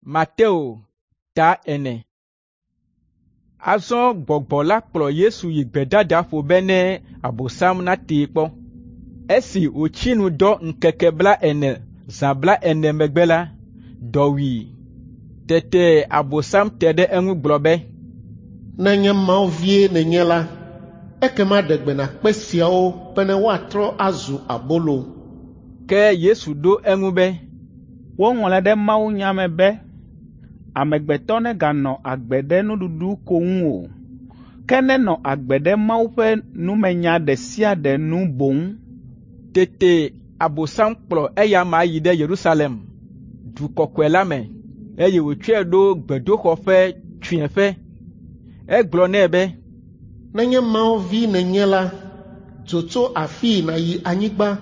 Mateo ta 4. Azɔ gbɔgbɔ la kplɔ Yesu yi gbedadaƒo bene Abosam natee kpɔ. Esi wòtsi nu dɔ ŋkeke 40 zã 40 megbe la, dɔ wui. Tete Abosam te ɖe eŋu gblɔ be, Nenye Mawu vie nènye la, ekema ɖe gbe na kpe siawo bene woatrɔ azu abolo. Ke Yesu ɖo eŋu be, Woŋlɔe ɖe mawunya me be, amegbetɔ neganɔ agbe ɖe nuɖuɖu ko ŋu o, ke nenɔ agbe ɖe Mawu ƒe numenya ɖe sia ɖe nu boŋ. Tete Abosam kplɔ eya amea yi ɖe Yerusalem, du kɔkɔe la me, eye wòtsɔe ɖo gbedoxɔ ƒe tsũeƒe. Egblɔ nɛ be, Nenye Mawu vi nènye la, dzo tso afii nàyi anyigba,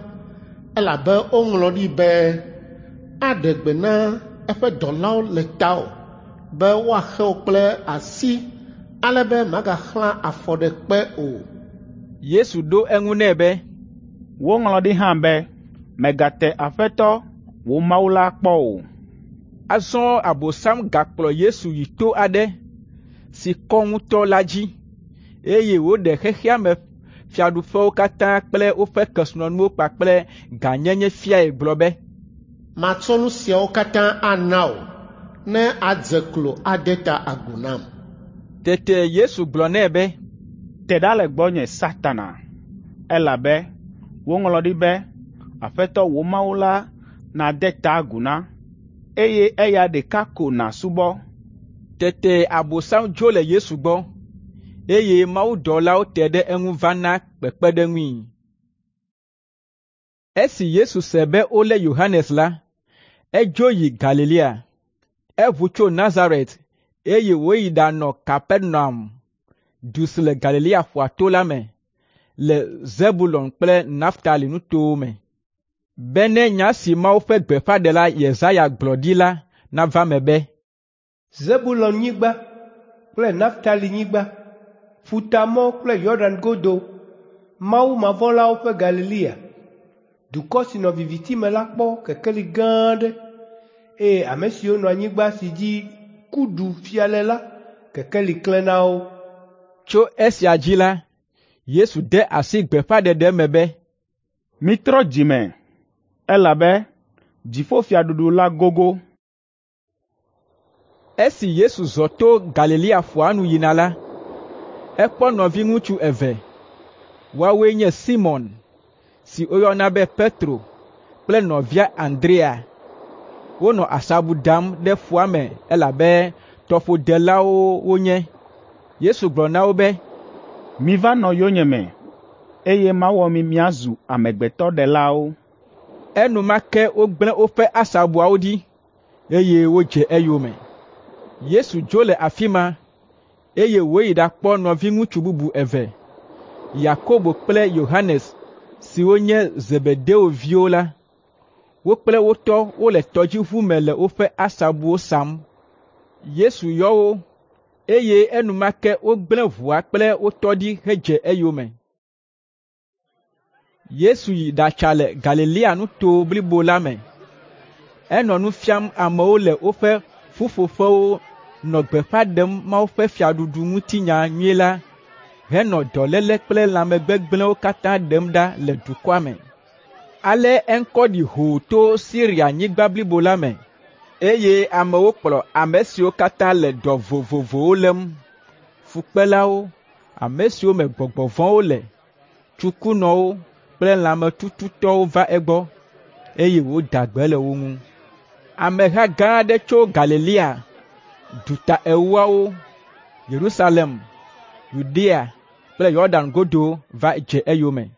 elabe woŋlɔ ɖi be, aɖe gbe na eƒe dɔlawo le tawò be woaxe wò kple asi ale be màgaxlã afɔ ɖe kpe o. Yesu ɖo eŋu nɛ be, Woŋlɔ ɖi hã be, mègate Aƒetɔ, wò Mawu la kpɔ o. Azɔ Abosam gakplɔ Yesu yi to aɖe si kɔ ŋutɔ la dzi, eye wòɖe xexea me fiaɖuƒewo katã kple woƒe kesinɔnuwo kpakple gãnyenye fiae gblɔ be, Matsɔ nu siawo katã ana wò ne àdze klo ade ta agu nam. Tete Yesu gblɔ nɛ be, Te ɖa le gbɔnye, Satana, elabe woŋlɔ ɖi be, Aƒetɔ wò Mawu la nàde ta agu na, eye eya ɖeka ko nàsubɔ. Tete Abosam dzo le Yesu gbɔ, eye mawudɔlawo te ɖe eŋu va na kpekpeɖeŋui. Esi Yesu se be wolé Yohanes la, edzo yi Galilea. Eʋu tso Nazaret, eye wòyi ɖanɔ Kapernaum, du si le Galilea ƒua to la me, le Zebulon kple Naftali nutowo me, bene nya si Mawu ƒe gbeƒãɖela Yesaya gblɔ ɖi la nava eme be, Zebulon-nyigba kple Naftali-nyigba, ƒutamɔ kple Yɔdan godo, mawumavɔ̃lawo ƒe Galilea. Dukɔ si nɔ viviti me la kpɔ kekeli gã aɖe, eye ame siwo nɔ anyigba si dzi ku ɖu fia le la, kekeli klẽ na wo. Tso esia dzi la, Yesu de asi gbeƒãɖeɖe me be, Mitrɔ dzi me, elabe dziƒofiaɖuɖu la gogo. Esi Yesu zɔ to Galilea ƒua nu yina la, ekpɔ nɔviŋutsu eve. Woawoe nye Simɔn, si woyɔna be Petro kple nɔvia Andrea. Wonɔ asabu dam ɖe ƒua me elabe tɔƒodelawo wonye. Yesu gblɔ na wo be, Miva nɔ yonyeme, eye mawɔ mi miazu amegbetɔɖelawo. Enumake wogblẽ woƒe asabuawo ɖi, eye wodze eyome. Yesu dzo le afi ma, eye wòyi ɖakpɔ nɔviŋutsu bubu eve, Yakobo kple Yohanes siwo nye Zebedeo viwo la. Wo kple wo tɔ wole tɔdziʋu me le woƒe asabuwo sam. Yesu yɔ wo, eye enumake wogblẽ ʋua kple wo tɔ ɖi hedze eyome. Yesu yi ɖatsa le Galilea nuto blibo la me. Enɔ nu fiam amewo le woƒe ƒuƒoƒewo nɔ gbeƒã ɖem Mawu ƒe fiaɖuɖu ŋutinya nyui la henɔ dɔléle kple lãmegbegblẽwo katã ɖem ɖa le dukɔa me. Ale eŋkɔ ɖi hoo to Sirianyigba blibo la me, eye amewo kplɔ ame siwo katã le dɔ vovovowo lém, fukpelawo, ame siwo me gbɔgbɔ vɔ̃wo le, tsukunɔwo kple lãmetututɔwo va egbɔ, eye wòda gbe le wo ŋu. Ameha gã aɖe tso Galilea, duta ewoawo, Yerusalem, Yudea kple Yɔdan godo va dze eyome.